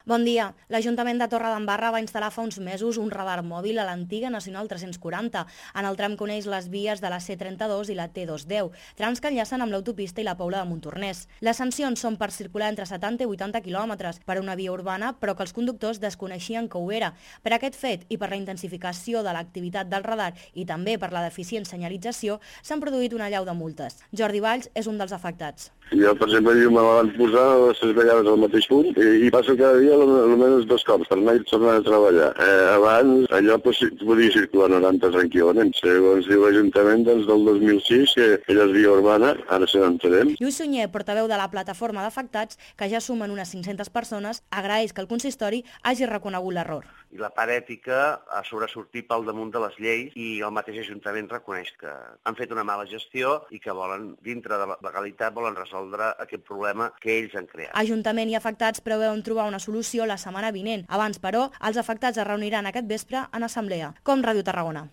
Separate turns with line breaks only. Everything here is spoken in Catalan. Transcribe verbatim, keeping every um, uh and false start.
Bon dia. L'Ajuntament de Torredembarra va instal·lar fa uns mesos un radar mòbil a l'antiga Nacional tres-cents quaranta, en el tram que uneix les vies de la C trenta-dos i la T dos cents deu, trams que enllacen amb l'autopista i la Pobla de Montornès. Les sancions són per circular entre setanta i vuitanta quilòmetres per una via urbana, però que els conductors desconeixien que ho era. Per aquest fet i per la intensificació de l'activitat del radar i també per la deficient senyalització, s'han produït una allau de multes. Jordi Valls és un dels afectats.
Jo, per exemple, me la van posar les tres vegades al mateix punt i, i passo cada dia almenys dos cops per anar i tornar a treballar. Eh, abans allò podia circular noranta tranquil·lament. Segons diu l'Ajuntament, doncs, del dos mil sis, que aquella és via urbana, ara se n'entenem.
Lluís Sunyer, portaveu de la plataforma d'afectats, que ja sumen unes cinc-centes persones, agraeix que el consistori hagi reconegut l'error.
I la part ètica ha sobresortit pel damunt de les lleis i el mateix Ajuntament reconeix que han fet una mala gestió i que volen, dintre de la legalitat, volen resoldre aquest problema que ells han creat.
Ajuntament i afectats preveuen trobar una solució la setmana vinent. Abans, però, els afectats es reuniran aquest vespre en assemblea. Com Ràdio Tarragona.